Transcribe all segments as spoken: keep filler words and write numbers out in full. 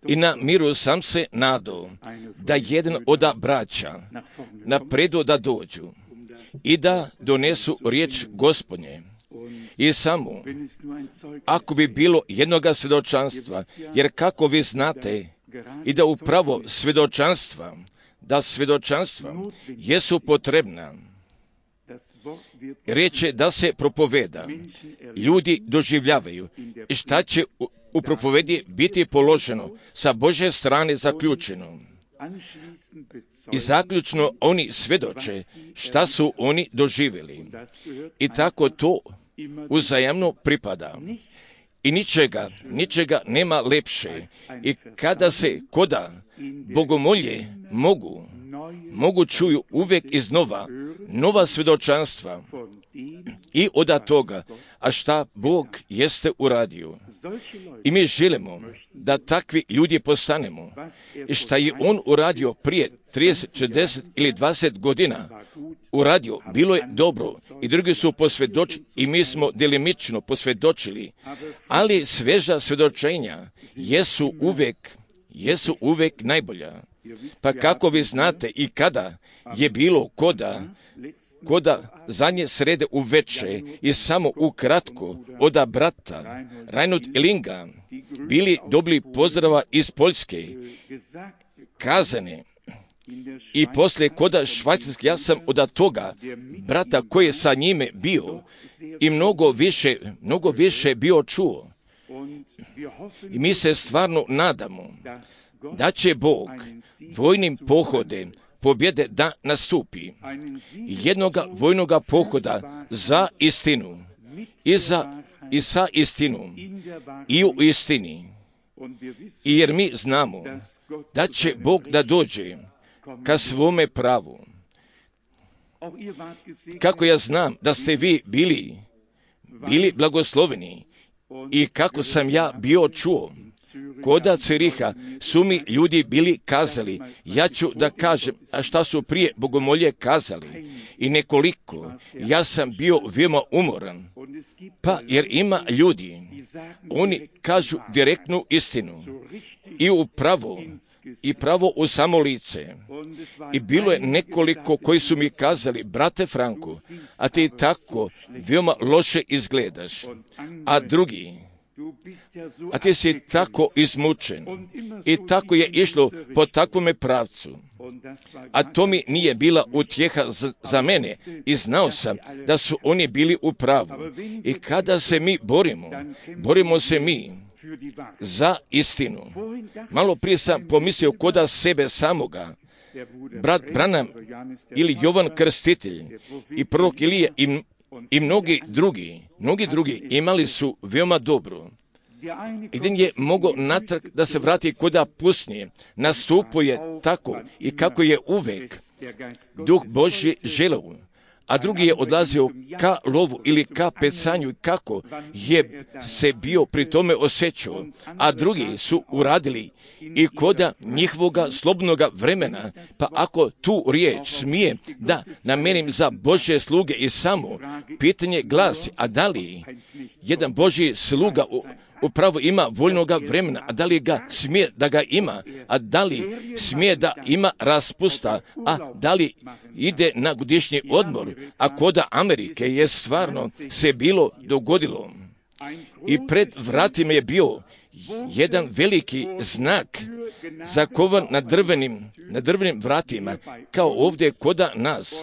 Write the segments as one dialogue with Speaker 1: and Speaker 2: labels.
Speaker 1: I na miru sam se nadao da jedan od braća napredu da dođu i da donesu riječ Gospodnje. I samo, ako bi bilo jednoga svjedočanstva, jer kako vi znate i da upravo svjedočanstva, da svjedočanstva jesu potrebna, riječ je da se propoveda, ljudi doživljavaju i šta će u, u propovedi biti položeno sa Božje strane zaključeno. I zaključno oni svjedoče šta su oni doživjeli. I tako to uzajamno pripada. I ničega, ničega nema lepše. I kada se koda bogomolje mogu, mogu čuju uvijek iznova nova svjedočanstva i od toga, a šta Bog jeste uradio. I mi želimo da takvi ljudi postanemo. I šta je On uradio prije trideset, četrdeset ili dvadeset godina, uradio, bilo je dobro i drugi su posvjedočili i mi smo delimično posvjedočili, ali sveža svjedočenja jesu uvijek, jesu uvijek najbolja. Pa kako vi znate i kada je bilo koda, koda zadnje srede u veče i samo ukratko od brata Reinhold Linga bili dobili pozdrava iz Poljske, kazane, i poslije koda Švajcarske, ja sam od toga brata koji je sa njime bio i mnogo više, mnogo više bio čuo. I mi se stvarno nadamo da će Bog vojnim pohodem pobjede da nastupi, jednoga vojnoga pohoda za istinu i, za, i sa istinom i u istini. I jer mi znamo da će Bog da dođe ka svome pravu. Kako ja znam da ste vi bili, bili blagosloveni i kako sam ja bio čuo, koda Ciriha su mi ljudi bili kazali, ja ću da kažem, a šta su prije bogomolje kazali. I nekoliko, ja sam bio veoma umoran. Pa jer ima ljudi, oni kažu direktnu istinu i u pravo, i pravo u samo lice. I bilo je nekoliko koji su mi kazali, brate Franko, a ti tako veoma loše izgledaš. A drugi, a ti si tako izmučen. I tako je išlo po takvome pravcu. A to mi nije bila utjeha za, za mene i znao sam da su oni bili u pravu. I kada se mi borimo, borimo se mi za istinu. Malo prije sam pomislio koda sebe samoga. Brat Branham ili Jovan Krstitelj i prorok Ilija i, i mnogi drugi, mnogi drugi imali su veoma dobro. Jedan je mogao natrag da se vrati koda pustinje, nastupuje tako i kako je uvek Duh Božji želeo, a drugi je odlazio ka lovu ili ka pecanju kako je se bio pri tome osjećao, a drugi su uradili i koda njihovoga slobodnoga vremena, pa ako tu riječ smije da namenim za Božje sluge i samo pitanje glasi, a da li jedan Božji sluga u upravo ima voljnoga vremena, a da li ga smije da ga ima, a da li smije da ima raspusta, a da li ide na godišnji odmor, a koda Amerike je stvarno se bilo dogodilo. I pred vratima je bio jedan veliki znak zakovan na drvenim, na drvenim vratima, kao ovdje koda nas.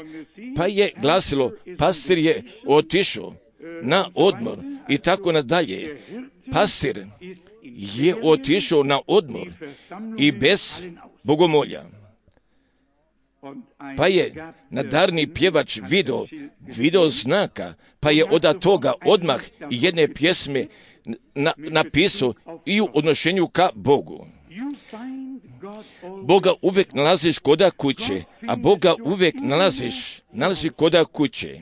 Speaker 1: Pa je glasilo, pastir je otišao na odmor i tako nadalje. Pastir je otišao na odmor i bez bogomolja. Pa je nadarni pjevač video, video znaka, pa je od toga odmah jedne pjesme na, napisao i u odnošenju ka Bogu. Boga uvijek nalaziš koda kuće, a Boga uvijek nalaziš, nalaziš koda kuće.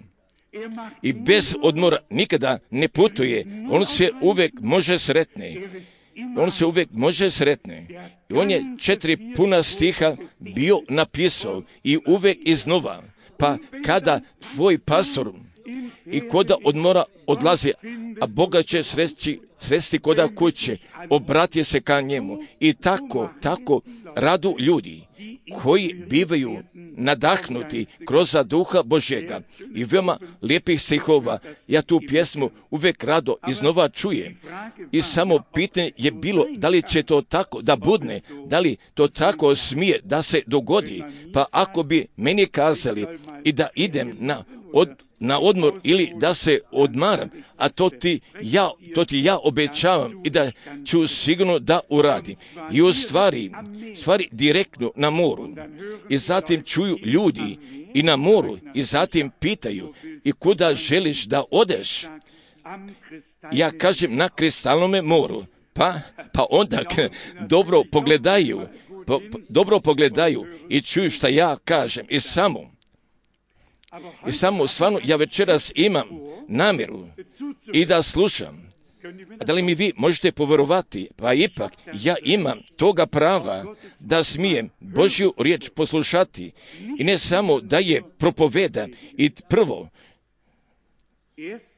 Speaker 1: I bez odmora nikada ne putuje, on se uvijek može sretne. On se uvijek može sretne. I on je četiri puna stiha bio napisao i uvijek iznova. Pa kada tvoj pastor i koda odmora odlazi, a Boga će sresti, sresti koda kuće, obrati se ka njemu. I tako, tako radu ljudi koji bivaju nadahnuti kroz duha Božjega i veoma lijepih stihova. Ja tu pjesmu uvijek rado iznova čujem. I samo pitanje je bilo da li će to tako da budne, da li to tako smije da se dogodi. Pa ako bi meni kazali i da idem na od na odmor ili da se odmaram, a to ti ja, to ti ja obećavam i da ću sigurno da uradim. I u stvari, stvari direktno na moru. I zatim čuju ljudi i na moru i zatim pitaju i kuda želiš da odeš? Ja kažem na kristalnome moru. Pa, pa onda dobro pogledaju, po, dobro pogledaju i čuju šta ja kažem i samo I samo stvarno ja večeras imam namjeru i da slušam. A da li mi vi možete povjerovati? Pa ipak ja imam toga prava da smijem Božju riječ poslušati. I ne samo da je propovedam. I prvo,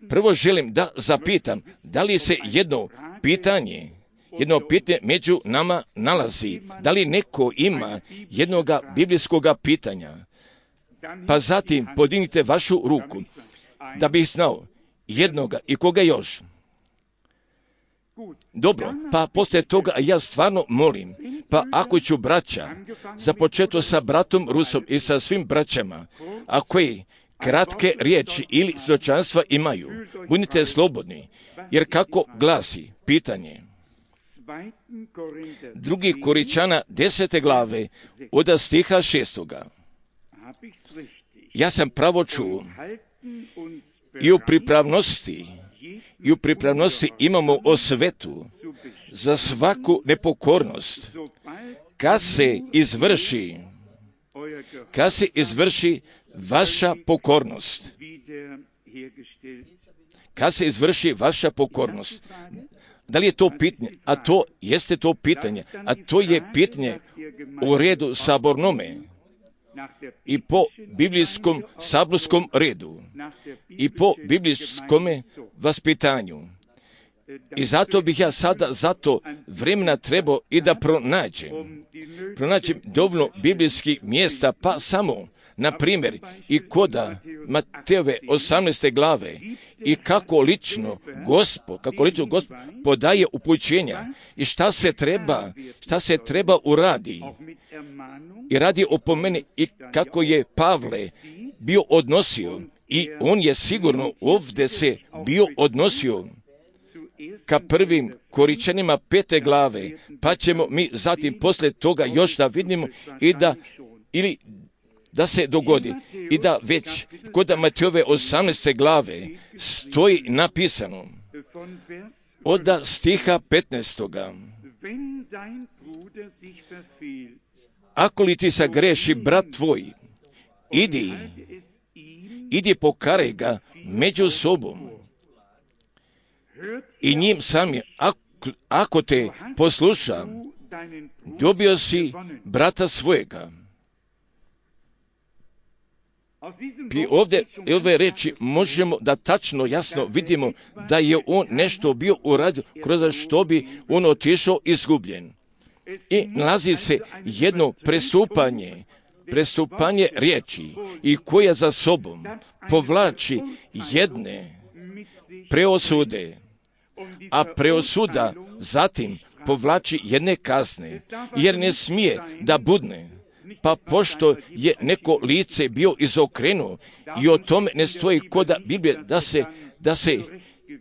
Speaker 1: prvo želim da zapitam da li se jedno pitanje, jedno pitanje među nama nalazi. Da li neko ima jednoga biblijskoga pitanja? Pa zatim podignite vašu ruku, da bih znao jednoga i koga još. Dobro, pa poslije toga ja stvarno molim, pa ako ću braća, započeto sa bratom Rusom i sa svim braćama, a koji kratke riječi ili svjedočanstva imaju, budite slobodni, jer kako glasi pitanje. Drugi Koričana desete glave od stiha šestoga. Ja sam pravo čuo i u pripravnosti, i u pripravnosti imamo osvetu za svaku nepokornost. Kad se izvrši, kad se izvrši vaša pokornost, kad se izvrši vaša pokornost, da li je to pitanje? A to jeste to pitanje, a to je pitanje u redu sabornome. I po biblijskom saborskom redu i po biblijskom vaspitanju. I zato bih ja sada zato vremena trebao i da pronađem. Pronađem dovoljno biblijskih mjesta, pa samo, na primjer, i koda Matejove osamnaeste glave i kako lično Gospod, kako lično Gospod podaje upućenja i šta se treba, šta se treba uradi. I radi opomene i kako je Pavle bio odnosio i on je sigurno ovdje se bio odnosio ka prvim Koričanima pete glave, pa ćemo mi zatim poslije toga još da vidimo i da ili da se dogodi i da već kod Matejove osamnaeste glave stoji napisano od stiha petnaestoga. Ako li ti sagreši brat tvoj, idi, idi pokaraj ga među sobom i njim samim, ako, ako te posluša, dobio si brata svojega. I ovdje, ove reči možemo da tačno, jasno vidimo da je on nešto bio uradio kroz što bi on otišao izgubljen. I nalazi se jedno prestupanje, prestupanje riječi i koja za sobom povlači jedne preosude, a preosuda zatim povlači jedne kazne, jer ne smije da budne. Pa pošto je neko lice bio izokrenuo i o tome ne stoji koda Biblije da se, da se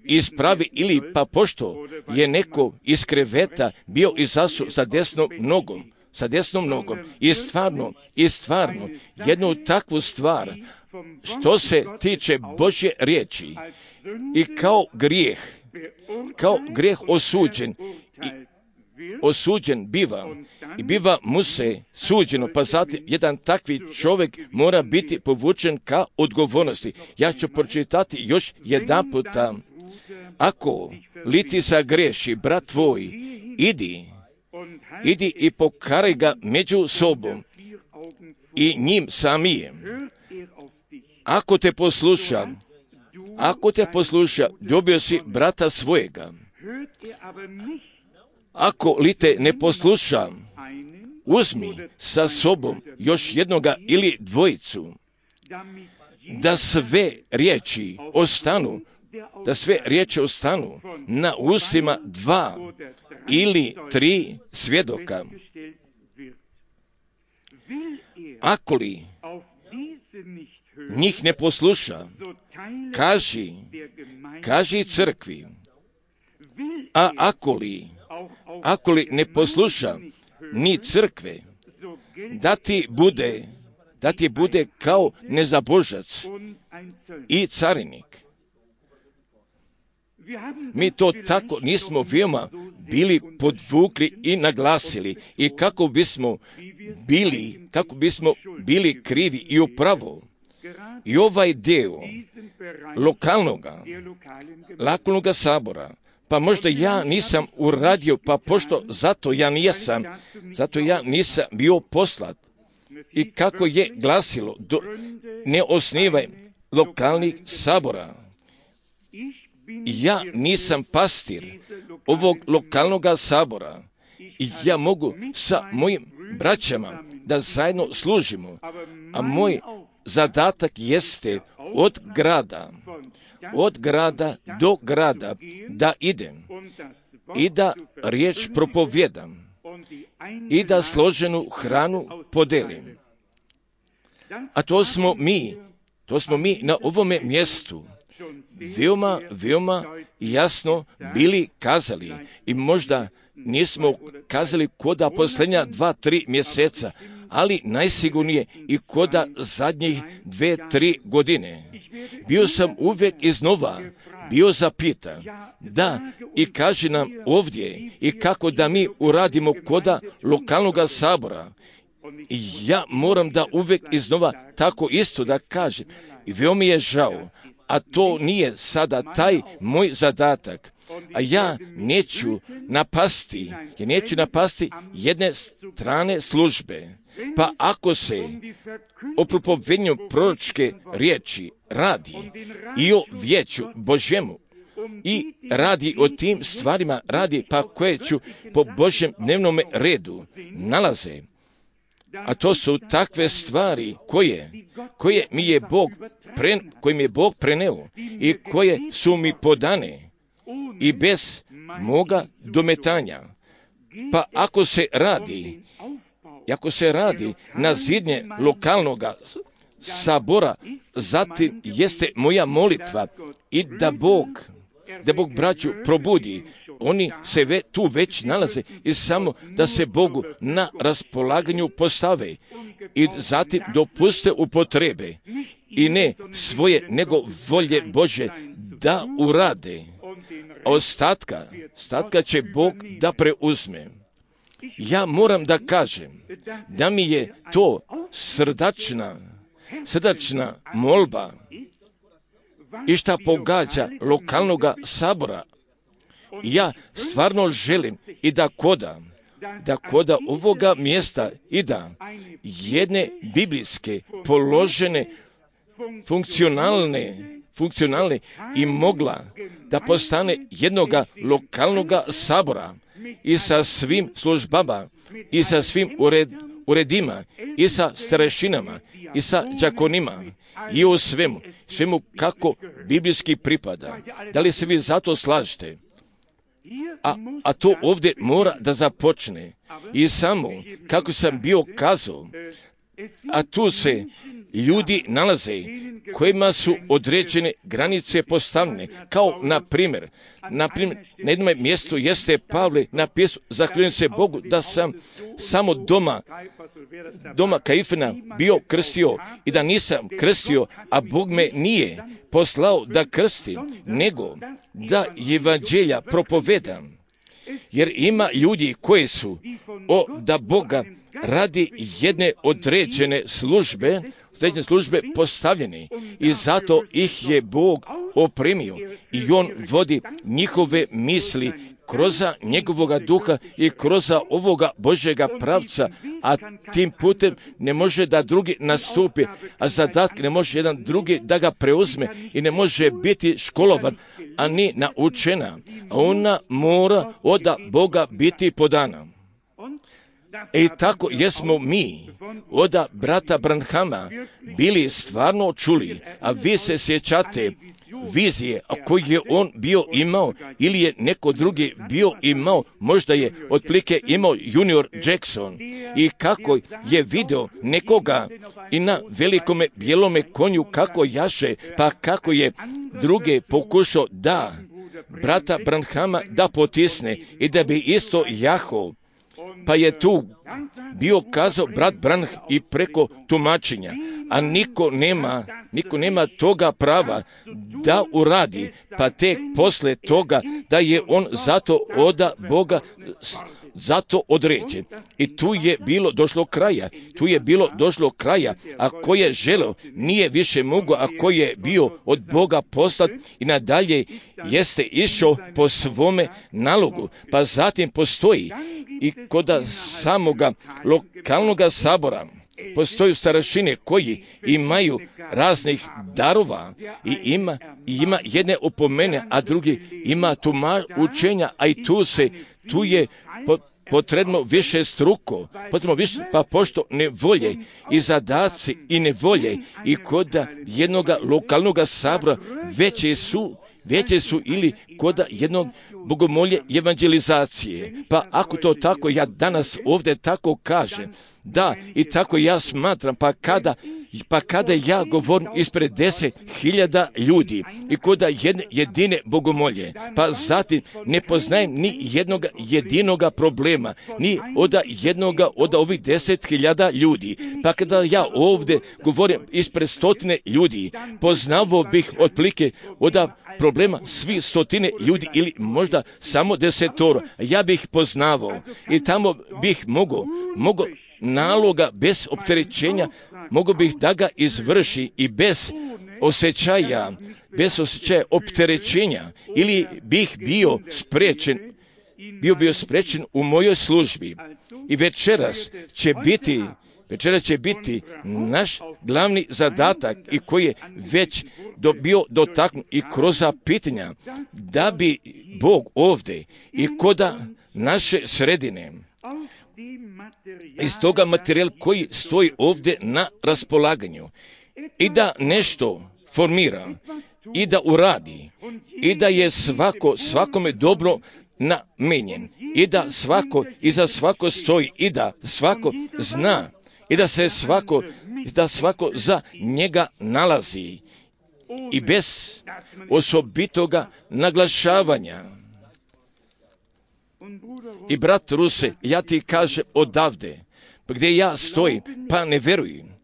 Speaker 1: ispravi ili pa pošto je neko iz kreveta bio izasu sa desnom nogom, sa desnom nogom i stvarno, i stvarno jednu takvu stvar što se tiče Božje riječi i kao grijeh, kao grijeh osuđen i osuđen biva i biva mu se suđeno, pa zatim jedan takvi čovjek mora biti povučen ka odgovornosti. Ja ću pročitati još jedan puta. Ako li ti sagreši brat tvoj, idi, idi i pokaraj ga među sobom i njim samijem. Ako te posluša, Ako te posluša, dobio si brata svojega. Ako li te ne posluša, uzmi sa sobom još jednoga ili dvojicu, da sve riječi ostanu, da sve riječi ostanu na ustima dva ili tri svjedoka. Ako li njih ne posluša, kaži, kaži crkvi, a ako li, ako li ne posluša ni crkve, da ti bude, da ti bude kao nezabožac i carinik. Mi to tako nismo veoma bili podvukli i naglasili i kako bismo bili, kako bismo bili krivi i upravo. I ovaj deo lokalnoga, lokalnoga sabora, pa možda ja nisam uradio, pa pošto zato ja nisam, zato ja nisam bio poslat. I kako je glasilo, do, ne osnivaj lokalnih sabora. Ja nisam pastir ovog lokalnog sabora i ja mogu sa mojim braćama da zajedno služimo, a moj zadatak jeste od grada, od grada do grada da idem i da riječ propovjedam i da složenu hranu podelim. A to smo mi, to smo mi na ovome mjestu veoma, veoma jasno bili kazali i možda nismo kazali koda posljednja dva, tri mjeseca, ali najsigurnije i koda zadnjih dve, tri godine. Bio sam uvijek iznova bio zapitan, da, i kaži nam ovdje i kako da mi uradimo koda lokalnog sabora. I ja moram da uvijek iznova tako isto da kažem. I veoma mi je žao, a to nije sada taj moj zadatak. A ja neću napasti, ja neću napasti jedne strane službe. Pa ako se o propovednju proročke riječi radi i o vijeću Božjemu i radi o tim stvarima, radi pa koje ću po Božjem dnevnom redu nalaze, a to su takve stvari koje, koje mi je Bog pre, koje mi je Bog preneo i koje su mi podane i bez moga dometanja. Pa ako se radi, ako se radi na zidnje lokalnog sabora, zatim jeste moja molitva i da Bog, da Bog braću probudi. Oni se ve, tu već nalaze i samo da se Bogu na raspolaganju postave i zatim dopuste upotrebe i ne svoje nego volje Bože da urade. A ostatka, ostatka će Bog da preuzme. Ja moram da kažem da mi je to srdačna, srdačna molba i šta pogađa lokalnog sabora. Ja stvarno želim i da koda, da koda ovoga mjesta i da jedne biblijske položene, funkcionalne, funkcionalne i mogla da postane jednoga lokalnog sabora i sa svim službama i sa svim ured, uredima i sa starešinama i sa đakonima i u svemu, svemu kako biblijski pripada. Da li se vi zato slažete? A, a to ovdje mora da započne. I samo, kako sam bio kazao, a tu se ljudi nalaze kojima su određene granice postavljene, kao na primjer, na primjer, na jednom mjestu jeste Pavle napisao, zahvaljujem se Bogu da sam samo doma, doma Kaifana bio krstio i da nisam krstio, a Bog me nije poslao da krstim, nego da evanđelja propovedam. Jer ima ljudi koji su o, da Boga radi jedne određene službe, određene službe postavljene i zato ih je Bog opremio i On vodi njihove misli kroz njegovoga duha i kroz ovoga Božjega pravca, a tim putem ne može da drugi nastupi, a zadatak ne može jedan drugi da ga preuzme i ne može biti školovan, a ni naučena. Ona mora od Boga biti podana. I tako jesmo mi od brata Branhama bili stvarno čuli, a vi se sjećate vizije koju je on bio imao ili je neko drugi bio imao, možda je otprilike imao junior Jackson, i kako je video nekoga i na velikome bijelome konju kako jaše, pa kako je druge pokušao da brata Branhama da potisne i da bi isto jahao. Pa je tu bio kazao brat Branham i preko tumačenja, a niko nema, niko nema toga prava da uradi, pa tek posle toga da je on zato od Boga zato određen. I tu je bilo došlo kraja, tu je bilo došlo kraja, a ko je želeo nije više mogao, a ko je bio od Boga poslat i nadalje jeste išao po svome nalogu. Pa zatim postoji i kod samoga lokalnog sabora postoju starešine koji imaju raznih darova i ima, i ima jedne opomene, a drugi ima tuma učenja, a i tu se, tu je po, potrebno više struko, potrebno više, pa pošto nevolje i zadaci i nevolje i kod jednog lokalnog sabora veće su, veće su ili kod jednog bogomolje evangelizacije. Pa ako to tako ja danas ovdje tako kažem, da, i tako ja smatram, pa kada, pa kada ja govorim ispred deset hiljada ljudi i kod jedne jedine bogomolje, pa zatim ne poznajem ni jednog jedinoga problema, ni od jednoga od ovih deset hiljada ljudi, pa kada ja ovdje govorim ispred stotine ljudi, poznavo bih otprilike od problema svi stotine ljudi ili možda samo desetoro. Ja bih poznavao i tamo bih mogao, mogao naloga bez opterećenja, mogu bih da ga izvrši i bez osjećaja, bez osjećaja opterećenja, ili bih bio spriječen, bio bio spriječen u mojoj službi. I večeras će biti, večeras će biti naš glavni zadatak i koji je već do, bio dotaknut i kroz pitanja, da bi Bog ovdje i kod naše sredine iz toga materijal koji stoji ovdje na raspolaganju i da nešto formira i da uradi i da je svako svakome dobro namenjen i da svako iza svako stoji i da svako zna i da se svako da svako za njega nalazi i bez osobitoga naglašavanja. I brat Ruse, ja ti kažem odavde, gdje ja stojim, pa ne verujem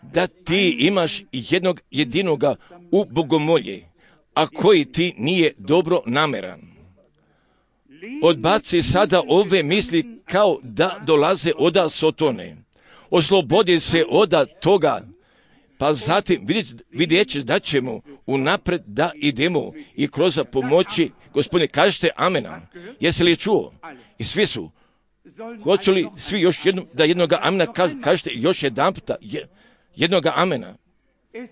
Speaker 1: da ti imaš jednog jedinoga u bogomolje, a koji ti nije dobro nameran. Odbaci sada ove misli kao da dolaze od Sotone. Oslobodi se od toga, pa zatim vidjet ćeš da ćemo unapred da idemo i kroz pomoći. Gospodine, kažete amena. Jesi li čuo? I svi su. Hoću li svi još jednom, da jednoga amena kaž, kažete još jedan puta jednoga amena?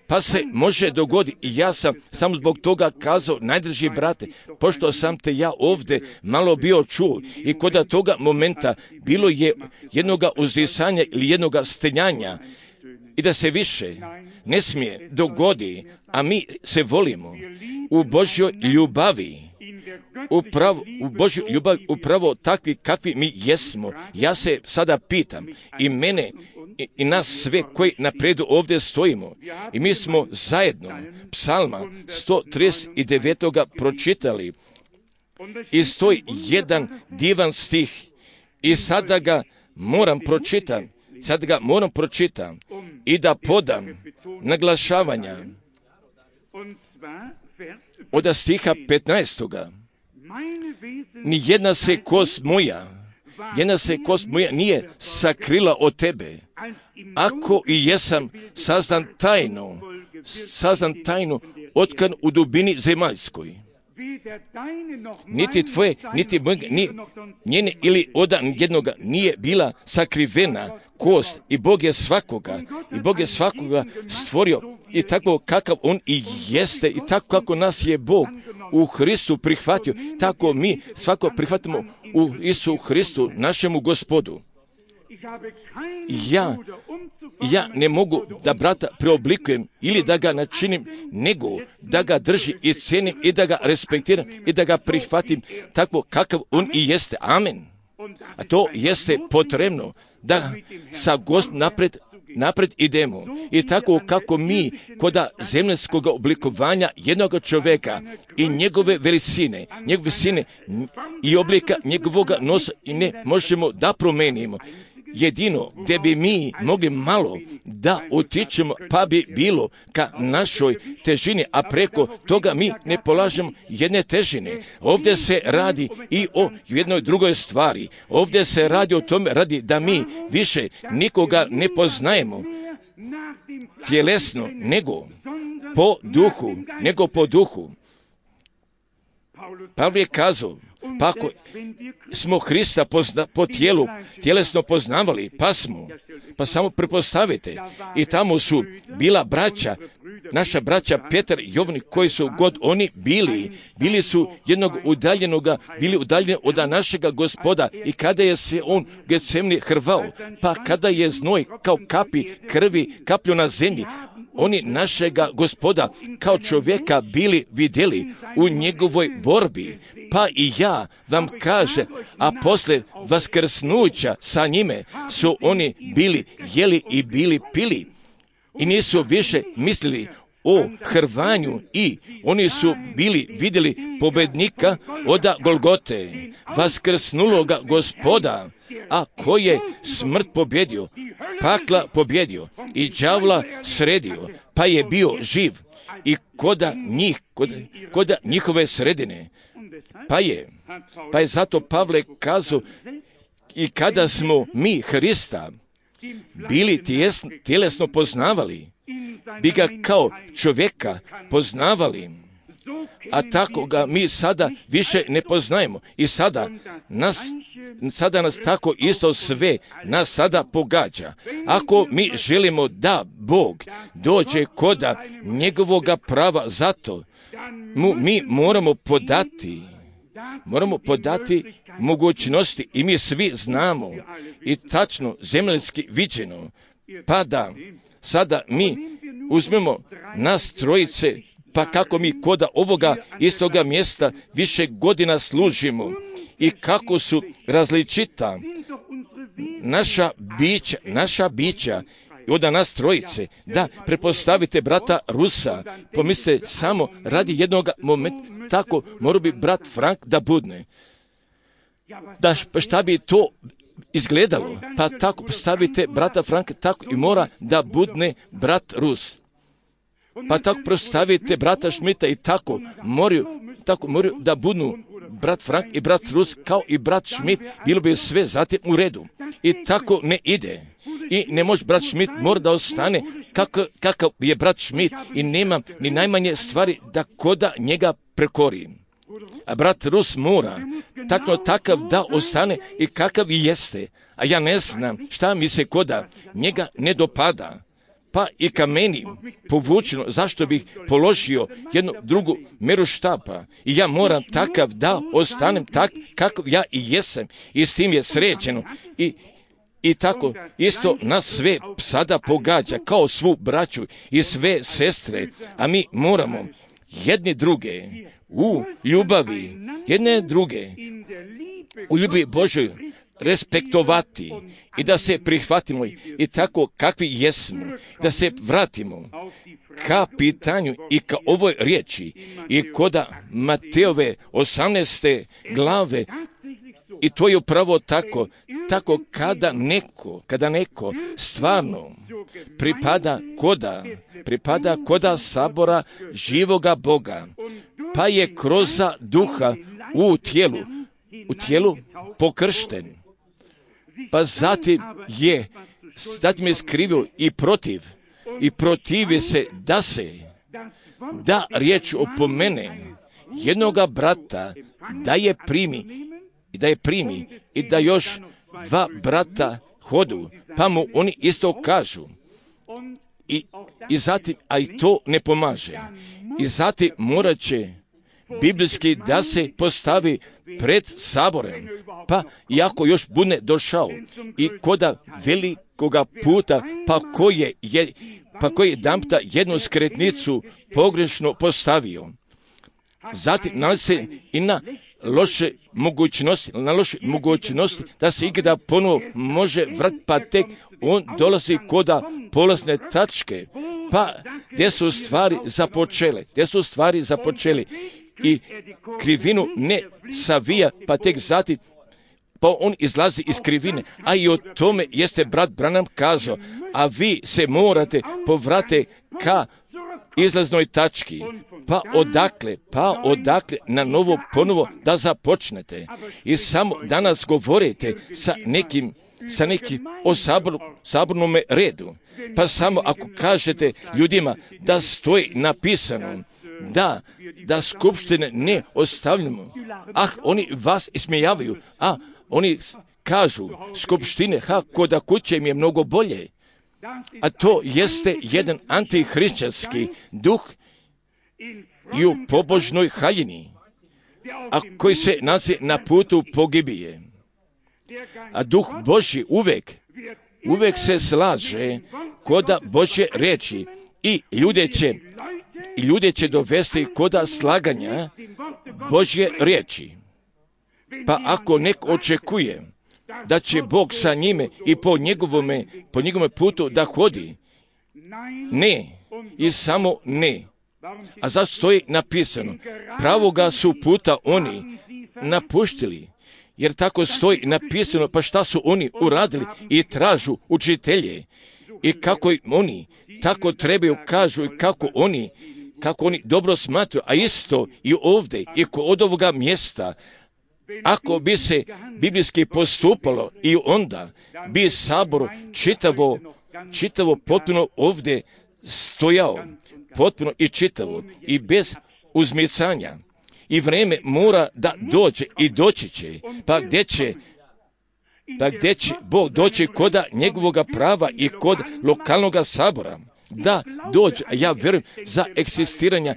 Speaker 1: Pa se može dogoditi. I ja sam samo zbog toga kazao, najdrži brate, pošto sam te ja ovdje malo bio čuo i kod toga momenta bilo je jednoga uzdisanja ili jednoga stenjanja i da se više ne smije dogodi, a mi se volimo u Božjoj ljubavi, upravo, u Božju ljubav, upravo takvi kakvi mi jesmo. Ja se sada pitam i mene i, i nas sve koji napredu ovdje stojimo i mi smo zajedno psalma sto trideset devet pročitali i stoji jedan divan stih i sada ga moram pročitati, sada ga moram pročitati i da podam naglašavanja od stiha petnaestoga. Ni jedna se kost moja, jedna se kost moja nije sakrila od tebe, ako i jesam sazdan tajno, sazdan tajno otkan u dubini zemaljskoj. niti tvoje, niti mojega, ni njene ili od jednoga nije bila sakrivena kost i Bog je svakoga, i Bog je svakoga stvorio i tako kakav on i jeste i tako kako nas je Bog u Hristu prihvatio, tako mi svako prihvatimo u Isu Hristu, našemu Gospodu. Ja, ja ne mogu da brata preoblikujem ili da ga načinim, nego da ga drži i cenim i da ga respektiram i da ga prihvatim tako kakav on i jeste. Amen. A to jeste potrebno da sa Gospodom napred, napred idemo. I tako kako mi koda zemljskog oblikovanja jednog čovjeka i njegove veličine, njegove visine i oblika njegovog nosa i ne možemo da promenimo. Jedino gdje bi mi mogli malo da utičemo, pa bi bilo ka našoj težini, a preko toga mi ne polažemo jedne težine. Ovdje se radi i o jednoj drugoj stvari. Ovdje se radi o tome radi da mi više nikoga ne poznajemo tjelesno, nego po duhu, nego po duhu. Pavle je kazao, pa ako smo Hrista pozna, po tijelu, tjelesno poznavali, pa smo, pa samo prepostavite, i tamo su bila braća, naša braća Petar i Jovan, koji su god oni bili, bili su jednog udaljenoga, bili udaljeni od našega Gospoda, i kada je se on Getsemani hrvao, pa kada je znoj kao kapi krvi kaplju na zemlji, oni našega Gospoda kao čovjeka bili vidjeli u njegovoj borbi. Pa i ja vam kažem, a posle vaskrsnuća sa njime su oni bili jeli i bili pili i nisu više mislili o hrvanju i oni su bili vidjeli pobednika od Golgote, vaskrsnuloga Gospoda, a koji je smrt pobjedio, pakla pobjedio i đavla sredio, pa je bio živ i koda njih, koda, koda njihove sredine. Pa je, pa je zato Pavle kazao, i kada smo mi Hrista bili tjesno, tjelesno poznavali, bi ga kao čovjeka poznavali, a tako ga mi sada više ne poznajemo. I sada nas, sada nas tako isto sve nas sada pogađa. Ako mi želimo da Bog dođe koda njegovoga prava, zato mu mi moramo podati Moramo podati mogućnosti i mi svi znamo i tačno zemaljski viđeno, pa da sada mi uzmemo nas trojice, pa kako mi koda ovoga istoga mjesta više godina služimo i kako su različita naša bića, naša bića od nas trojice. Da, prepostavite brata Rusa, pomislite samo radi jednog momenta, tako mora bi brat Frank da budne. Da, šta bi to izgledalo? Pa tako postavite brata Franka, tako i mora da budne brat Rus. Pa tako postavite brata Šmita i tako moraju, tako moraju da budnu brat Frank i brat Rus kao i brat Šmit, bilo bi sve zatim u redu. I tako ne ide. I ne može brat Šmit, mora da ostane kakav, kakav je brat Šmit i nema ni najmanje stvari da koda njega prekori. A brat Rus mora tako takav da ostane i kakav i jeste. A ja ne znam šta mi se koda njega ne dopada. Pa i ka meni povučeno, zašto bih položio jednu drugu meru štapa. I ja moram takav da ostanem tak kakav ja i jesam. I s tim je srećeno. I I tako isto nas sve sada pogađa kao svu braću i sve sestre, a mi moramo jedni druge u ljubavi, jedne druge u ljubavi Božoj respektovati i da se prihvatimo i tako kakvi jesmo, da se vratimo ka pitanju i ka ovoj riječi i koda Mateove osamnaeste glave. I to je upravo tako, tako kada neko, kada neko stvarno pripada koda, pripada koda sabora živoga Boga, pa je kroz duha u tijelu, u tijelu pokršten, pa zatim je, zatim je skrivio i protiv, i protivi se da se, da riječ opomene jednoga brata da je primi i da je primi i da još dva brata hodu, pa mu oni isto kažu. I, i zatim, a i to ne pomaže. I zatim morat će biblijski da se postavi pred saborem, pa iako još bude došao i koda velikoga puta, pa koji je, pa koji je jedanputa jednu skretnicu pogrešno postavio. Zatim nalazi se i na loše mogućnosti, na loše mogućnosti da se ikada ponovo može vratiti, pa tek on dolazi koda polazne tačke, pa gdje su stvari započele, gdje su stvari započeli i krivinu ne savija, pa tek zatim pa on izlazi iz krivine, a i o tome jeste brat Branham kazao, a vi se morate povrate ka izlaznoj tački, pa odakle, pa odakle na novo ponovo da započnete. I samo danas govorite sa nekim, sa nekim o sabor, sabornome redu, pa samo ako kažete ljudima da stoji napisano, da, da skupštine ne ostavljamo, ah, oni vas ismijavaju, a oni kažu, skupštine, ha, koda kuće im je mnogo bolje. A to jeste jedan antihrišćanski duh i u pobožnoj haljini, a koji se nalazi na putu pogibije. A duh Božji uvek, uvek se slaže koda Božje reči i ljude će, i ljude će dovesti koda slaganja Božje riječi. Pa ako neko očekuje da će Bog sa njime i po njegovome, po njegovome putu da hodi, ne, i samo ne. A zašto stoji napisano? Pravoga su puta oni napuštili, jer tako stoji napisano, pa šta su oni uradili i tražu učitelje i kako oni tako trebaju kažu i kako oni, kako oni dobro smatruju, a isto i ovdje i kod ovoga mjesta. Ako bi se biblijski postupalo i onda bi sabor čitavo, čitavo potpuno ovdje stojao, potpuno i čitavo i bez uzmicanja. I vrijeme mora da dođe i doći će, pa gdje će, pa gdje će Bog doći koda njegovoga prava i kod lokalnog sabora, da dođe, a ja vjerujem za eksistiranja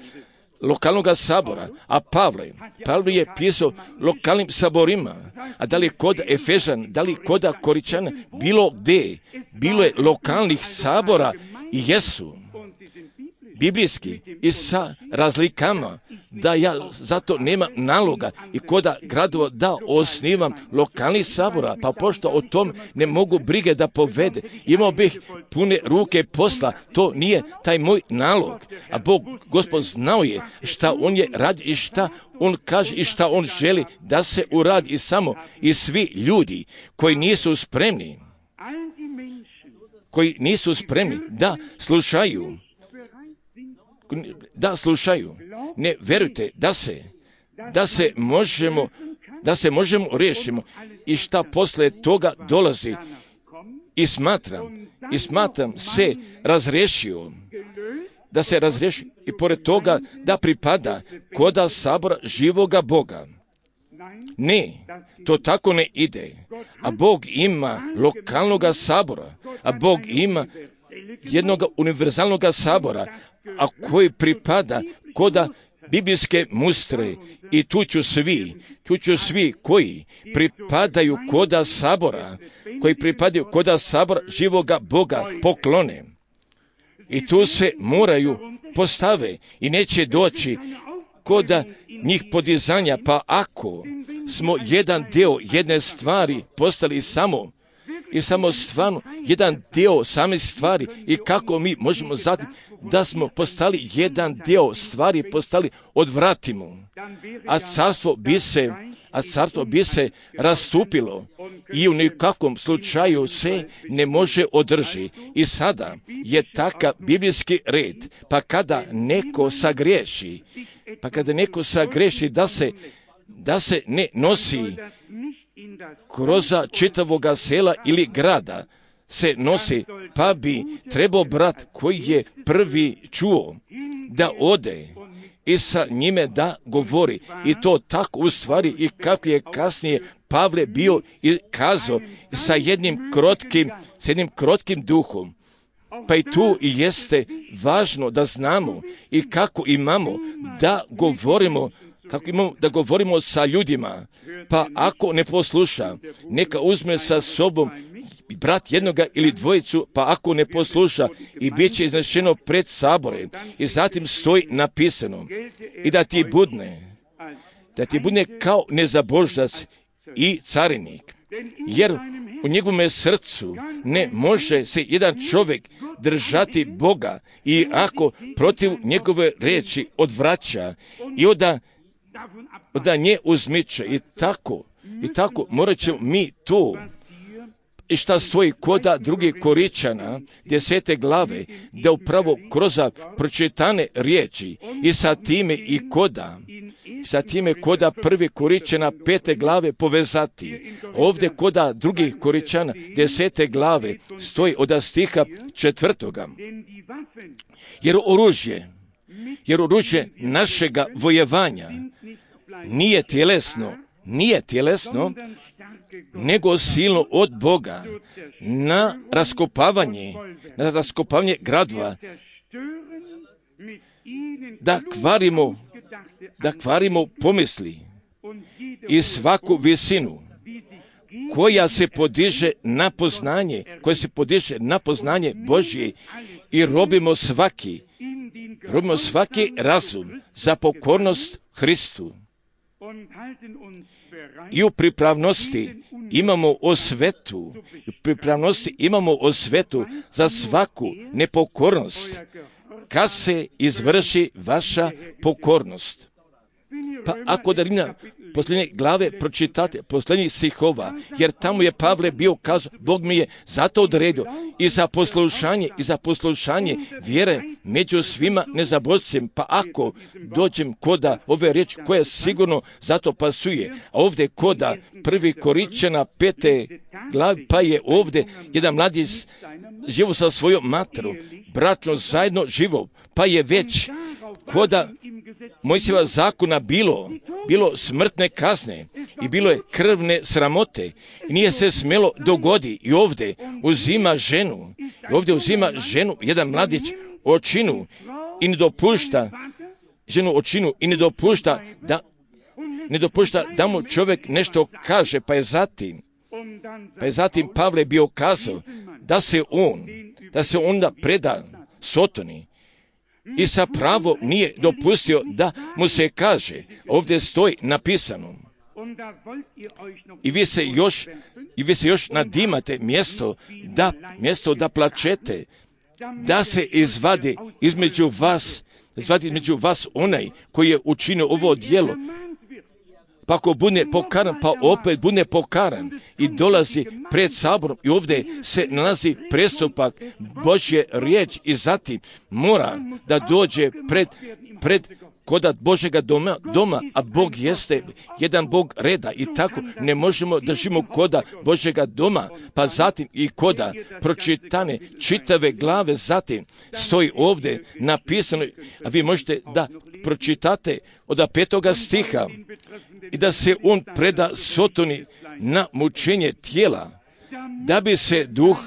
Speaker 1: lokalnog sabora, a Pavle, Pavle je pisao lokalnim saborima, a da li kod Efežan, da li kod Koričana, bilo gdje, bilo je lokalnih sabora i jesu biblijski i sa razlikama, da ja zato nemam naloga i koda gradova da osnivam lokalnih sabora, pa pošto o tom ne mogu brige da povede, imao bih pune ruke posla, to nije taj moj nalog, a Bog, Gospod znao je šta on je radi i šta on kaže i šta on želi da se uradi i samo i svi ljudi koji nisu spremni, koji nisu spremni da slušaju, da slušaju, ne verujte da se, da se možemo, da se možemo riješimo i šta posle toga dolazi i smatram, i smatram se razriješio, da se razriješi i pored toga da pripada koda sabora živoga Boga. Ne, to tako ne ide, a Bog ima lokalnog sabora, a Bog ima jednog univerzalnog sabora, a koji pripada koda biblijske mustre i tu ću svi, tu ću svi koji pripadaju koda sabora, koji pripadaju koda sabora živoga Boga poklone. I tu se moraju postave i neće doći koda njih podizanja, pa ako smo jedan dio jedne stvari postali samo i samo stvarno jedan dio same stvari i kako mi možemo zatim da smo postali jedan dio stvari, postali odvratimo, a carstvo bi se, a carstvo bi se rastupilo i u nikakvom slučaju se ne može održi. I sada je takav biblijski red, pa kada neko sagriješi, pa kada neko sagriješi da se, da se ne nosi kroz čitavoga sela ili grada, se nosi, pa bi trebao brat koji je prvi čuo da ode i sa njime da govori. I to tako u stvari i kako je kasnije Pavle bio i kazao sa jednim krotkim, sa jednim krotkim duhom. Pa i tu i jeste važno da znamo i kako imamo da govorimo, kako imamo da govorimo sa ljudima. Pa ako ne posluša, neka uzme sa sobom brat jednoga ili dvojicu, pa ako ne posluša i bit će iznešeno pred sabore. I zatim stoji napisano i da ti budne, da ti budne kao nezaboždac i carinik. Jer u njegovome srcu ne može se jedan čovjek držati Boga i ako protiv njegove riječi odvraća i onda, onda nje uzmiče i tako, i tako morat ćemo mi tu. I šta stoji koda drugih Koričana, desete glave, da upravo kroz pročitane riječi i sa time i koda, sa time koda prvi Koričana pete glave povezati. Ovdje koda drugih Koričana desete glave stoji od stiha četvrtoga. Jer oružje, jer oružje našega vojevanja nije tjelesno, nije tjelesno, nego silno od Boga na raskopavanje, na raskopavanje gradova, da kvarimo, da kvarimo pomisli i svaku visinu koja se podiže na poznanje, koja se podiže na poznanje Božje i robimo svaki, robimo svaki razum za pokornost Hristu. I u pripravnosti imamo osvetu, u pripravnosti imamo osvetu za svaku nepokornost, kad se izvrši vaša pokornost. Pa ako da na posljednje glave pročitate, posljednjih stihova, jer tamo je Pavle bio kazao, Bog mi je zato odredio i za poslušanje, i za poslušanje vjere među svima nezabožcem. Pa ako dođem koda ove riječi koja sigurno zato pasuje, a ovdje koda prvi Koričana pete glavi, pa je ovdje jedan mladić živo sa svojom materom, bračno zajedno živo, pa je već koda Mojsijeva zakona bilo, bilo smrtne kazne i bilo je krvne sramote i nije se smjelo dogodi i ovdje uzima ženu, i ovdje uzima ženu, jedan mladić očinu i ne dopušta, ženu očinu i ne dopušta da, ne dopušta da mu čovjek nešto kaže, pa je zatim, pa je zatim Pavle bio kazao da se on, da se onda preda Sotoni. I sa pravo nije dopustio da mu se kaže, ovdje stoji napisano. I vi se još, i vi se još nadimate mjesto da, mjesto da plačete, da se izvadi između vas, izvadi između vas onaj koji je učinio ovo djelo. Pa ako bude pokaran, pa opet bude pokaran i dolazi pred saborom i ovdje se nalazi prestupak Božje riječ i zatim mora da dođe pred, pred koda Božjega doma, doma, a Bog jeste jedan Bog reda i tako ne možemo da živimo koda Božjega doma, pa zatim i koda pročitane čitave glave, zatim stoji ovdje napisano, a vi možete da pročitate od petoga stiha i da se on preda Sotoni na mučenje tijela, da bi se duh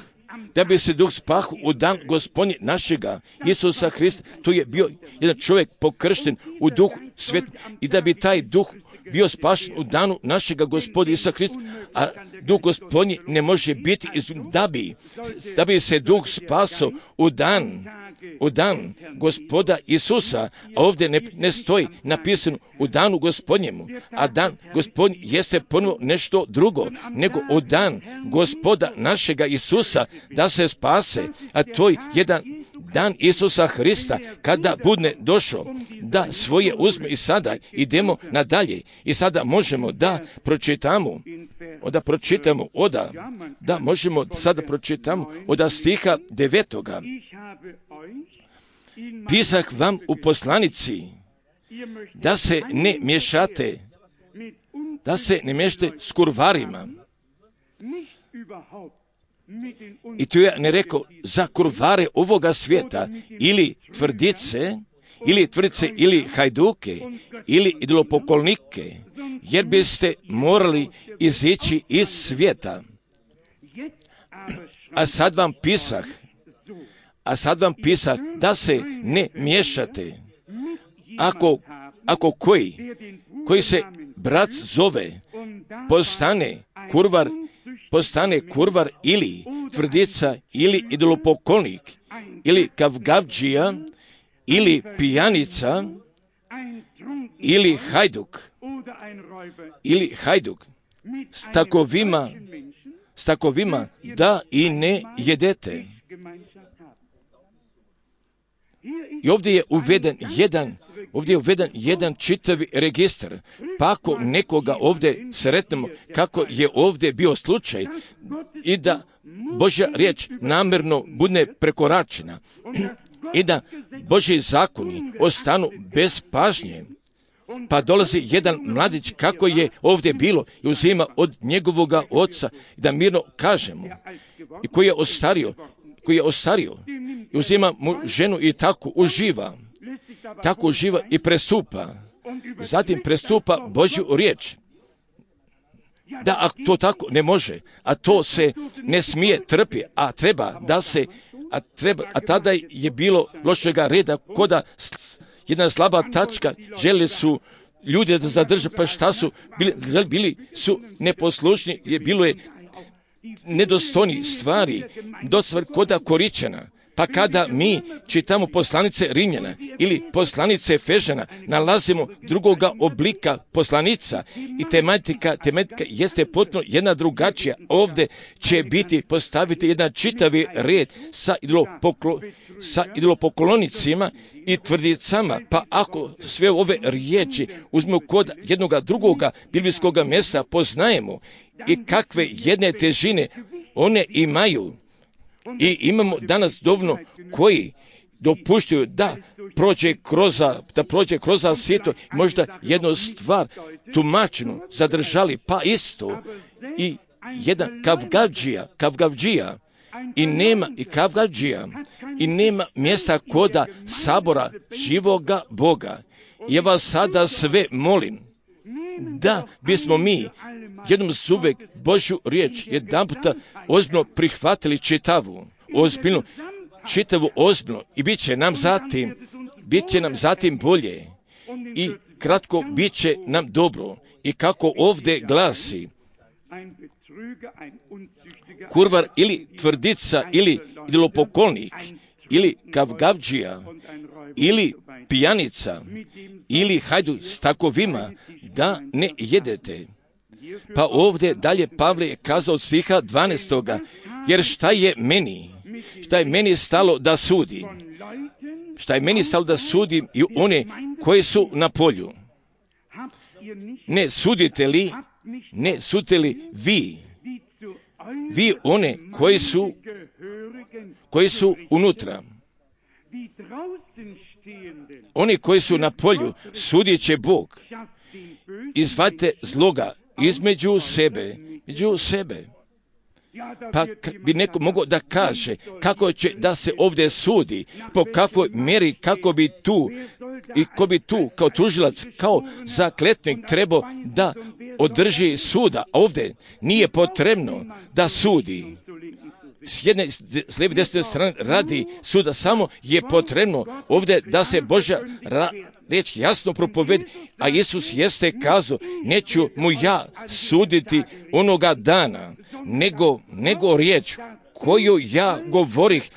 Speaker 1: da bi se duh spahu u dan Gospodnje našega Isusa Hrista. Tu je bio jedan čovjek pokršten u duhu svetu i da bi taj duh bio spašen u danu našega Gospodina Isusa Hrista, a duh Gospodnji ne može biti da bi, da bi se duh spasao u dan u dan Gospoda Isusa, a ovdje ne, ne stoji napisano u danu Gospodnjemu, a dan Gospodnji jeste ponovo nešto drugo, nego u dan Gospoda našega Isusa da se spase, a to je jedan dan Isusa Hrista kada bude došao da svoje uzme i sada idemo nadalje i sada možemo da pročitamo da pročitamo oda da možemo sada pročitamo od stiha devetoga. Pisak vam u poslanici da se ne miješate da se ne miješate s kurvarima. I tu je ne rekao za kurvare ovoga svijeta ili tvrdice ili tvrdice, ili hajduke, ili idolopoklonike, jer biste morali izići iz svijeta. A sad vam pisah, a sad vam pisah da se ne miješate. Ako, ako koji, koji se brat zove, postane kurvar, postane kurvar ili tvrdica, ili idolopoklonik, ili kavgavđija, ili pijanica, ili hajduk, ili hajduk, s takovima, s takovima da i ne jedete. I ovdje je uveden jedan, ovdje je uveden jedan čitavi registar. Pa ako nekoga ovdje sretnemo kako je ovdje bio slučaj i da Božja riječ namjerno bude prekoračena i da Božji zakoni ostanu bez pažnje, pa dolazi jedan mladić kako je ovdje bilo i uzima od njegovoga oca, da mirno kažemo, i koji je ostario, koji je ostario, i uzima mu ženu i tako uživa, tako uživa i prestupa, zatim prestupa Božju riječ. Da, a to tako ne može, a to se ne smije trpi, a treba da se, a, treba, a tada je bilo lošega reda, koda jedna slaba tačka, želi su ljudi da zadrže, pa šta su, bili, bili su neposlušni, je bilo je nedostojni stvari, do stvari koda Koričana. Pa kada mi čitamo poslanice Rimljana ili poslanice Efežana, nalazimo drugoga oblika poslanica i tematika, tematika jeste potpuno jedna drugačija. Ovdje će biti postaviti jedan čitavi red sa, idolopoklo, sa idolopoklonicima i tvrdicama, pa ako sve ove riječi uzmemo kod jednoga drugoga biblijskoga mjesta poznajemo i kakve jedne težine one imaju. I imamo danas dovoljno koji dopuštaju da prođe kroz, da prođe kroz sito, možda jednu stvar tumačenu zadržali, pa isto i jedan kavgavđija, kavgavđija i nema i kavgavđija i nema mjesta koda sabora živoga Boga. Ja vas sada sve molim da bismo mi jednom suvek Božju riječ jedan puta ozbiljno prihvatili čitavu, ozbiljno, čitavu ozbiljno i bit će nam zatim, bit će nam zatim bolje i kratko bit će nam dobro. I kako ovdje glasi, kurvar ili tvrdica ili idolopoklonik ili kavgavđija ili pijanica ili hajdu s takovima da ne jedete. Pa ovdje dalje Pavle je kazao od stiha dvanaestoga, jer šta je meni, šta je meni stalo da sudim, šta je meni stalo da sudim i one koji su na polju. Ne sudite li, ne sudite li vi, vi one koji su, koji su unutra. Oni koji su na polju, sudit će Bog. Izvadite zloga između sebe, između sebe. Pa bi neko mogao da kaže kako će da se ovdje sudi, po kakvoj mjeri, kako bi tu i ko bi tu kao tužilac, kao zakletnik trebao da održi suda. Ovdje nije potrebno da sudi. S jedne, s lijeve desne strane radi suda, samo je potrebno ovdje da se Božja ra, riječ jasno propovedi, a Isus jeste kazao, neću mu ja suditi onoga dana, nego, nego riječ koju ja govorih,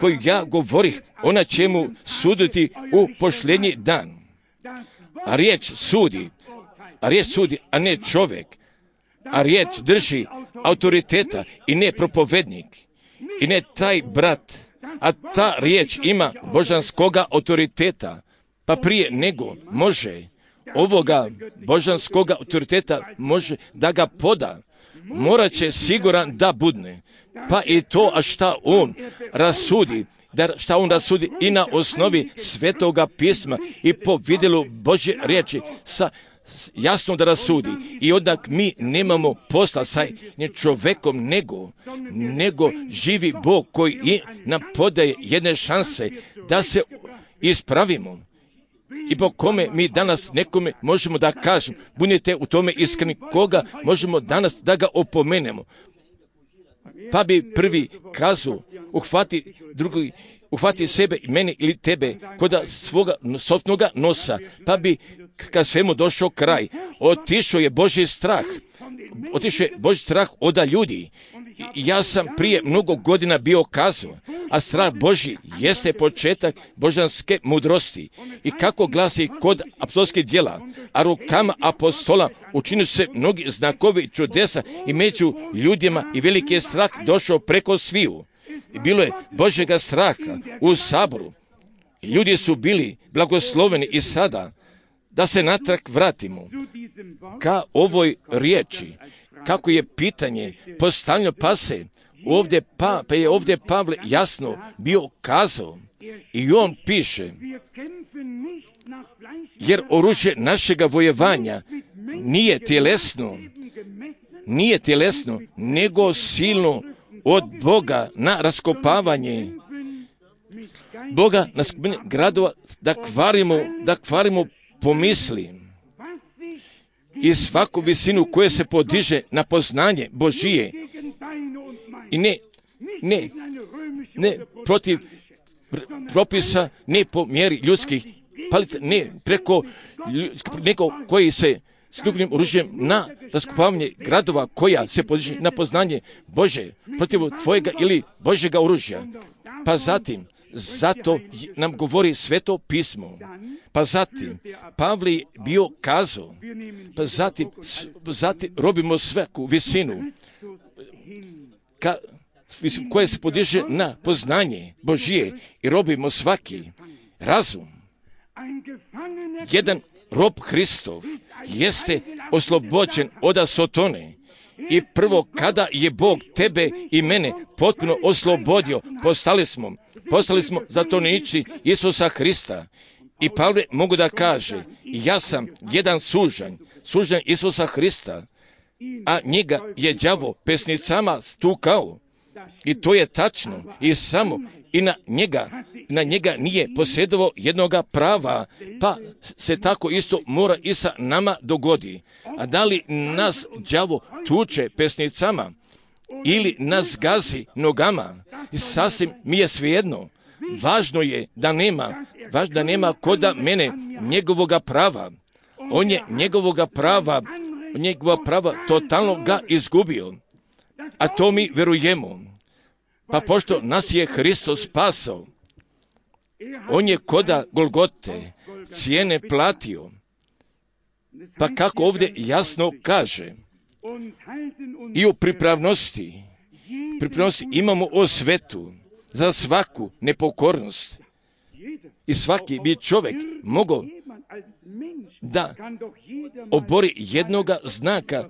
Speaker 1: koju ja govorih, ona će mu suditi u posljednji dan. A riječ sudi, a riječ sudi, a ne čovjek, a riječ drži autoriteta i ne propovednik, i ne taj brat, a ta riječ ima božanskoga autoriteta, pa prije nego može ovoga božanskoga autoriteta može da ga poda, morat će siguran da budne, pa i to, a šta on rasudi, da šta on rasudi i na osnovi Svetoga pisma i po vidjelu Božje riječi sa jasno da rasudi. I onda mi nemamo posla sa čovjekom, nego, nego živi Bog koji nam podaje jedne šanse da se ispravimo i po kome mi danas nekome možemo da kažemo, budite u tome iskreni, koga možemo danas da ga opomenemo. Pa bi prvi kazao, uhvati drugi, uhvati sebe, mene ili tebe, koda svoga sopnoga nosa, pa bi kad svemu došao kraj, otišao je Božji strah, otišao je Božji strah oda ljudi. Ja sam prije mnogo godina bio kazao, a strah Božji jeste početak božanske mudrosti. I kako glasi kod apostolskih djela, a rukama apostola učinili su se mnogi znakovi čudesa i među ljudima i veliki je strah došao preko sviju. I bilo je Božjega straha u saboru. Ljudi su bili blagosloveni i sada, da se natrag vratimo ka ovoj riječi, kako je pitanje postavljeno, pa se ovdje, pa, pa je ovdje Pavle jasno bio kazao i on piše, jer oružje našega vojevanja nije tjelesno, nije tjelesno, nego silno od Boga na raskopavanje Boga na skupine gradova, da kvarimo, da kvarimo pomisli i svaku visinu koja se podiže na poznanje Božije i ne, ne, ne protiv propisa, ne po mjeri ljudskih palica, ne preko neko koji se stupnim oružjem na raskopavanje gradova koja se podiže na poznanje Bože, protiv tvojega ili Božjega oružja. Pa zatim, zato nam govori Sveto pismo. Pa zatim, Pavle je bio kazao, pa zatim, zatim robimo svaku visinu ka, koja se podiže na poznanje Božije i robimo svaki razum. Jedan rob Hristov jeste oslobođen od Sotone. I prvo, kada je Bog tebe i mene potpuno oslobodio, postali smo, postali smo zatvorenici Isusa Hrista. I Pavle mogu da kaže, ja sam jedan sužanj, sužanj Isusa Hrista, a njega je đavo pesnicama stukao. I to je tačno. I samo i na njega, na njega nije posjedovao jednoga prava, pa se tako isto mora i sa nama dogodi. A da li nas đavo tuče pesnicama ili nas gazi nogama, sasvim mi je svejedno. Važno je da nema, važno da nema koda mene njegovoga prava. On je njegovoga prava, njegova prava totalno ga izgubio. A to mi verujemo. Pa pošto nas je Hristos spasao, on je koda Golgote cijene platio. Pa kako ovdje jasno kaže, i u pripravnosti, pripravnosti imamo osvetu za svaku nepokornost. I svaki bi čovjek mogao da obori jednoga znaka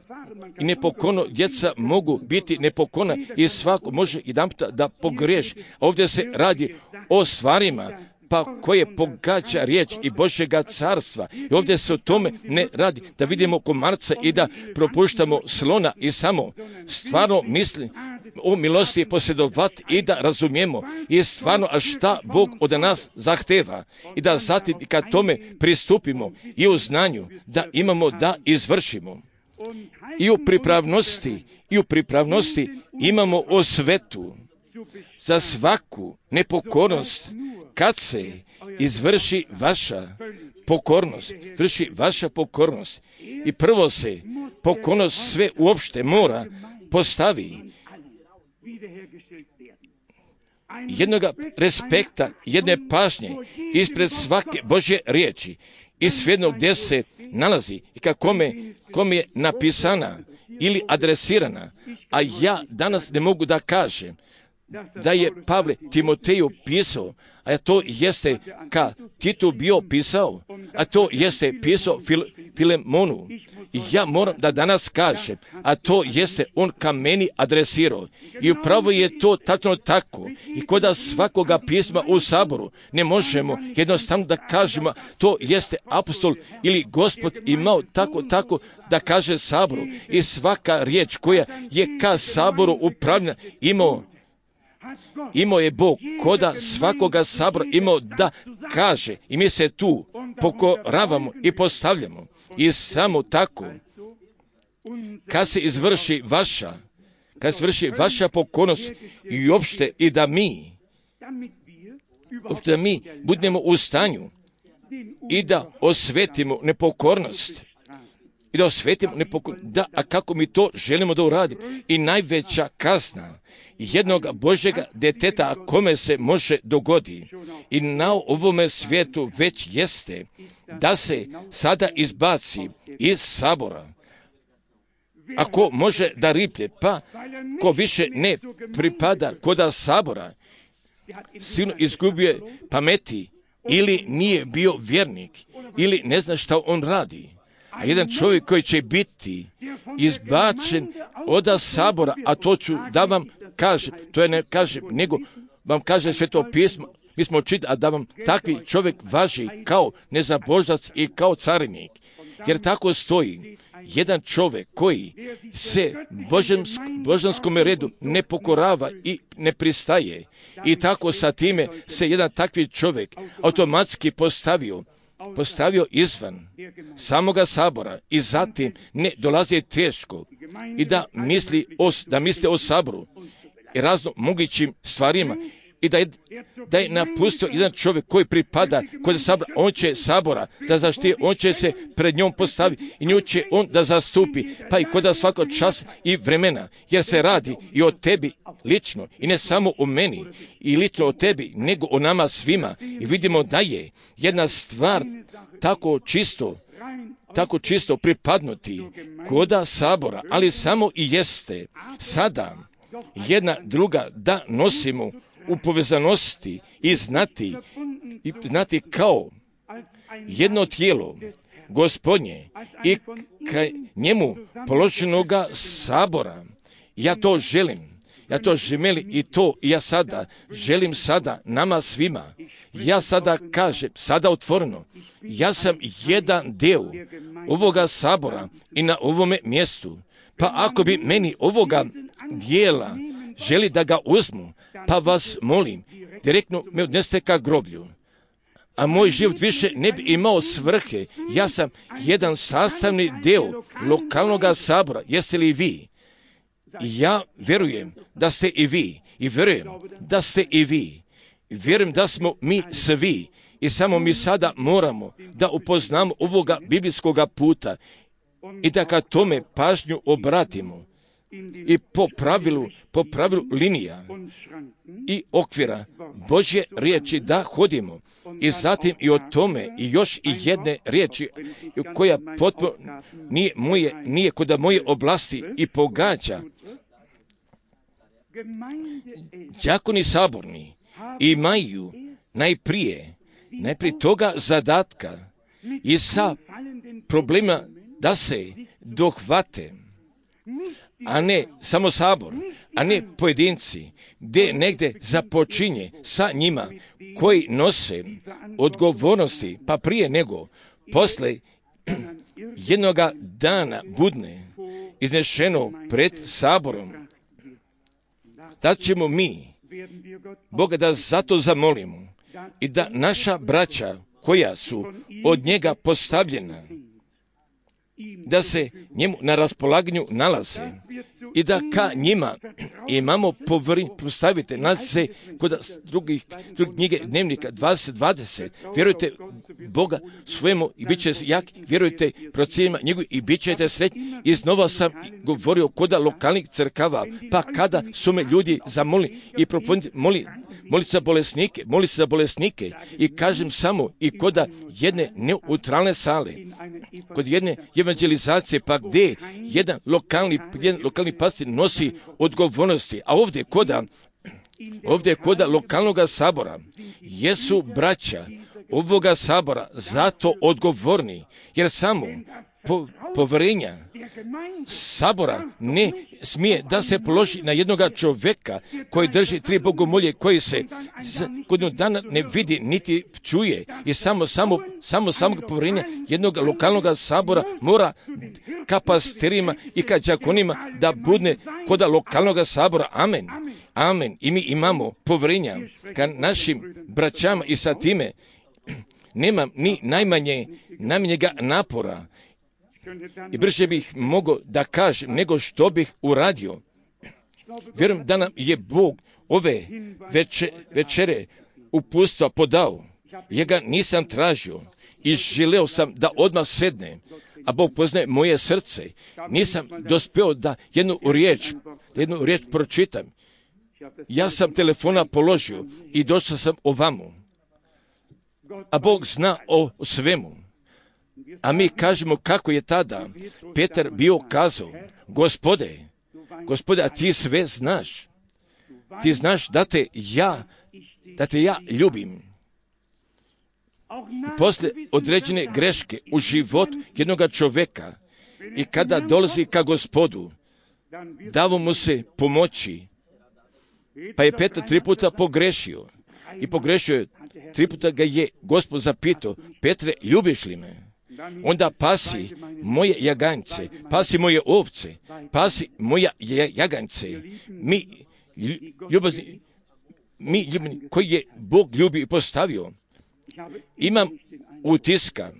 Speaker 1: i nepokorno djeca mogu biti nepokorna i svako može jedanputa da pogriješi. Ovdje se radi o stvarima pa koje pogađa riječ i Božjega carstva. I ovdje se o tome ne radi da vidimo komarca i da propuštamo slona i samo stvarno misli o milosti posjedovati i da razumijemo i stvarno a šta Bog od nas zahteva i da zatim kad tome pristupimo i u znanju da imamo da izvršimo. I u pripravnosti, i u pripravnosti imamo osvetu za svaku nepokornost kad se izvrši vaša pokornost, vrši vaša pokornost. I prvo se pokornost sve uopšte mora postavi. Jednoga respekta, jedne pažnje ispred svake Božje riječi i svejedno gdje se nalazi i kako kome, kome je napisana ili adresirana. A ja danas ne mogu da kažem da je Pavle Timoteju pisao, a to jeste ka Titu bio pisao, a to jeste pisao Fil, Filemonu. I ja moram da danas kažem, a to jeste on ka meni adresirao. I upravo je to tačno tako. I koda svakoga pisma u saboru ne možemo jednostavno da kažemo, to jeste apostol ili Gospod imao tako, tako da kaže saboru. I svaka riječ koja je ka saboru upravljena imao imao je Bog koda svakoga sabora imao da kaže i mi se tu pokoravamo i postavljamo i samo tako kad se izvrši vaša kad se vrši vaša pokornost i uopšte i da mi uopšte da mi budemo u stanju i da osvetimo nepokornost i da osvetimo nepokornost, da, a kako mi to želimo da uradimo. I najveća kazna jednog Božjega deteta kome se može dogodi i na ovome svijetu već jeste da se sada izbaci iz sabora. Ako može da riplje, pa ko više ne pripada koda sabora, silno izgubio pameti ili nije bio vjernik ili ne zna šta on radi. A jedan čovjek koji će biti izbačen od sabora, a to ću da vam kažem, to je ne kažem, nego vam kaže Sveto pismo, mi smo čitali, a da vam takvi čovjek važi kao nezaboždac i kao carinik. Jer tako stoji, jedan čovjek koji se božanskom redu ne pokorava i ne pristaje. I tako sa time se jedan takvi čovjek automatski postavio, postavio izvan samoga sabora i zatim ne dolazi teško i da misli o, da misli o saboru i razno mogućim stvarima i da je, da je napustio jedan čovjek koji pripada kod sabora, on će sabora da zaštiti, on će se pred njom postaviti i nju će on da zastupi, pa i kod svakog časa i vremena, jer se radi i o tebi lično i ne samo o meni i lično o tebi, nego o nama svima. I vidimo da je jedna stvar tako čisto, tako čisto pripadnuti koda sabora, ali samo i jeste sada jedna druga da nosimo u povezanosti i znati, i znati kao jedno tijelo Gospodnje i ka njemu položenoga sabora. Ja to želim, ja to želim i to ja sada želim sada nama svima. Ja sada kažem, sada otvoreno, ja sam jedan deo ovoga sabora i na ovome mjestu. Pa ako bi meni ovoga dijela želi da ga uzmu, pa vas molim, direktno me odneste ka groblju. A moj život više ne bi imao svrhe. Ja sam jedan sastavni deo lokalnog sabora. Jeste li vi? Ja vjerujem da ste i vi. I vjerujem da ste i vi. Vjerujem da smo mi svi. I samo mi sada moramo da upoznamo ovoga biblijskoga puta i da ka tome pažnju obratimo. I po pravilu, po pravilu linija i okvira Božje riječi da hodimo. I zatim i o tome i još i jedne riječi koja potpuno nije moje, nije kod moje oblasti i pogađa. Đakoni saborni imaju najprije, najprije toga zadatka i sa problema da se dohvate, a ne samo sabor, a ne pojedinci, gdje negdje započinje sa njima koji nose odgovornosti, pa prije nego posle jednoga dana budne iznešeno pred saborom. Tad ćemo mi Boga da zato zamolimo i da naša braća koja su od njega postavljena, da se njemu na raspolaganju nalaze i da ka njima imamo povjerenje. Postavite nas se kod drugih, drugih knjige dnevnika dvadeset dvadeset. Vjerujte Boga svojemu i bit će jak. Vjerujte procijenima njegovi i bit ćete sretni. I znova sam govorio kod lokalnih crkava, pa kada su me ljudi zamolili i proponili, moli, moli se za bolesnike, moli se za bolesnike i kažem samo i kod jedne neutralne sale, kod jedne evangelizacije, pa gdje jedan lokalni, jedan lokalni pastir nosi odgovornosti, a ovdje koda, ovdje koda lokalnog sabora jesu braća ovoga sabora zato odgovorni, jer samo po, poverenja sabora ne smije da se položi na jednoga čovjeka koji drži tri bogomolje, koji se godinu dana ne vidi niti čuje, i samo samo samo samog poverenja jednog lokalnog sabora mora ka pastirima i ka đakonima da bude kod lokalnog sabora. Amen. Amen. I mi imamo poverenja ka našim braćama i sa time nema ni najmanje najmanjega napora. I brže bih mogao da kažem nego što bih uradio. Vjerujem da nam je Bog ove veče, večere uputstva podao. Ja ga nisam tražio i želeo sam da odmah sedne, a Bog poznaje moje srce. Nisam dospeo da jednu riječ, da jednu riječ pročitam. Ja sam telefona položio i došao sam ovamo. A Bog zna o svemu. A mi kažemo kako je tada Petar bio kazao: Gospode, Gospode, a ti sve znaš. Ti znaš da te ja, da te ja ljubim. I poslije određene greške u život jednog čovjeka i kada dolazi ka Gospodu, davo mu se pomoći. Pa je Petar tri puta pogrešio. I pogrešio je, tri puta ga je Gospod zapitao: Petre, ljubiš li me? Onda pasi moje jaganjce, pasi moje ovce, pasi moja jaganjce. Mi ljubazni, mi ljubni, koji je Bog ljubi i postavio. Imam utiska,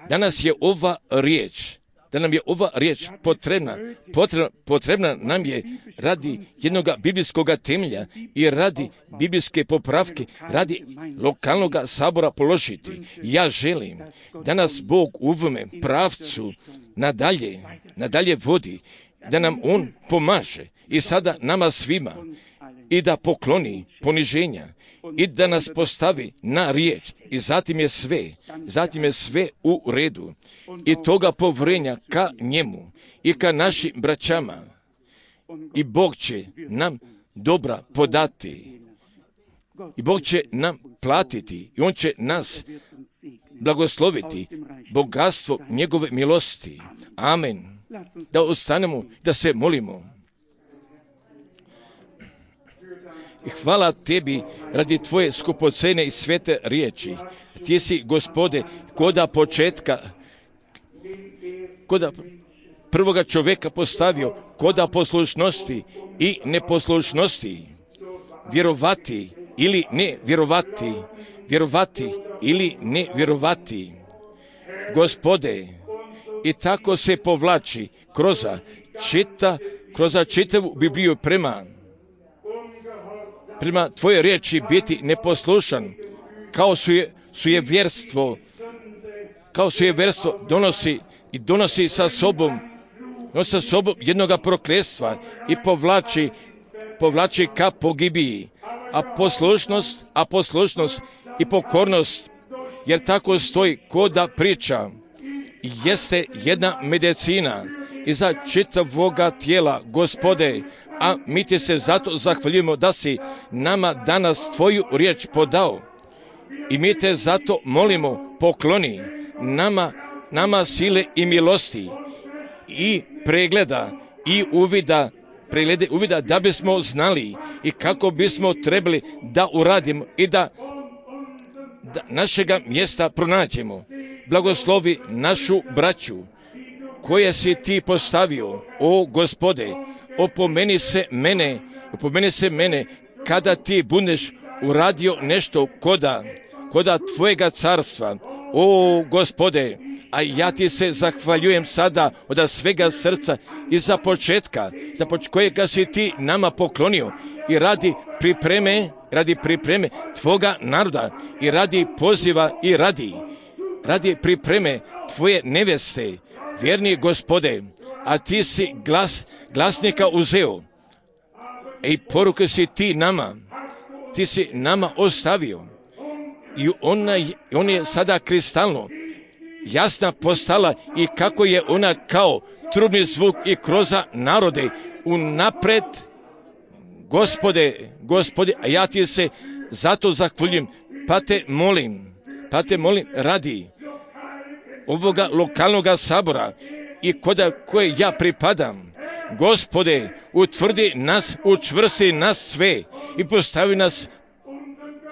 Speaker 1: danas je ova riječ, da nam je ova riječ potrebna, potrebna, potrebna nam je radi jednog biblijskog temelja i radi biblijske popravke, radi lokalnog sabora položiti. Ja želim da nas Bog u ovome pravcu nadalje, nadalje vodi, da nam On pomaže i sada nama svima, i da pokloni poniženja i da nas postavi na riječ, i zatim je sve, zatim je sve u redu, i toga povrenja ka njemu i ka našim braćama, i Bog će nam dobra podati, i Bog će nam platiti, i On će nas blagosloviti bogatstvo njegove milosti. Amen. Da ostanemo, da se molimo. I hvala tebi radi tvoje skupocene i svete riječi. Ti si, Gospode, koda početka, koda prvoga čovjeka postavio, koda poslušnosti i neposlušnosti. Vjerovati ili ne vjerovati, vjerovati ili ne vjerovati. Gospode, i tako se povlači kroz čita, kroz čitavu Bibliju prema prema tvoje riječi biti neposlušan, kao su je, su je vjerstvo, kao su je vjerstvo donosi i donosi sa sobom, nosi sa sobom jednoga prokletstva i povlači, povlači ka pogibiji. A poslušnost, a poslušnost i pokornost, jer tako stoji koda priča, jeste jedna medicina iza čitavoga tijela, Gospode, a mi ti se zato zahvaljujemo da si nama danas tvoju riječ podao. I mi te zato molimo, pokloni nama, nama sile i milosti i pregleda i uvida, preglede uvida da bismo znali i kako bismo trebali da uradimo i da, da našega mjesta pronađemo. Blagoslovi našu braću koje si ti postavio, o Gospode, opomeni se mene, opomeni se mene kada ti budeš uradio nešto koda, koda tvojega carstva, o Gospode, a ja ti se zahvaljujem sada od svega srca i za početka, za poč- kojega si ti nama poklonio i radi pripreme, radi pripreme tvoga naroda i radi poziva i radi, radi pripreme tvoje neveste, vjerni Gospode, a ti si glas, glasnika uzeo i poruke si ti nama, ti si nama ostavio i ona, on je sada kristalno jasna postala i kako je ona kao trubni zvuk i kroz narode unapred. Gospode, Gospode, a ja ti se zato zahvaljujem, pa te molim, pa te molim radi, ovoga lokalnog sabora i koda koje ja pripadam. Gospode, utvrdi nas, učvrsti nas sve i postavi nas,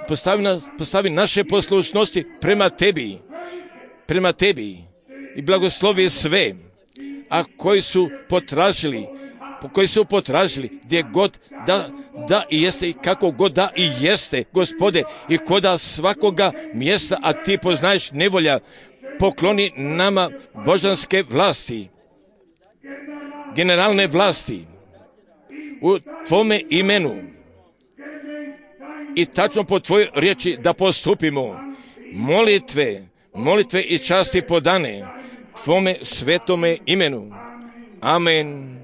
Speaker 1: postavi, nas, postavi naše poslušnosti prema tebi, prema tebi i blagoslovi sve, a koji su potražili, koji su potražili gdje god da, da i jeste i kako god da i jeste, Gospode, i koda svakoga mjesta, a ti poznaješ nevolja, pokloni nama božanske vlasti, generalne vlasti u tvome imenu i tačno po tvojoj riječi da postupimo. Molitve, molitve i časti podane tvome svetome imenu. Amen.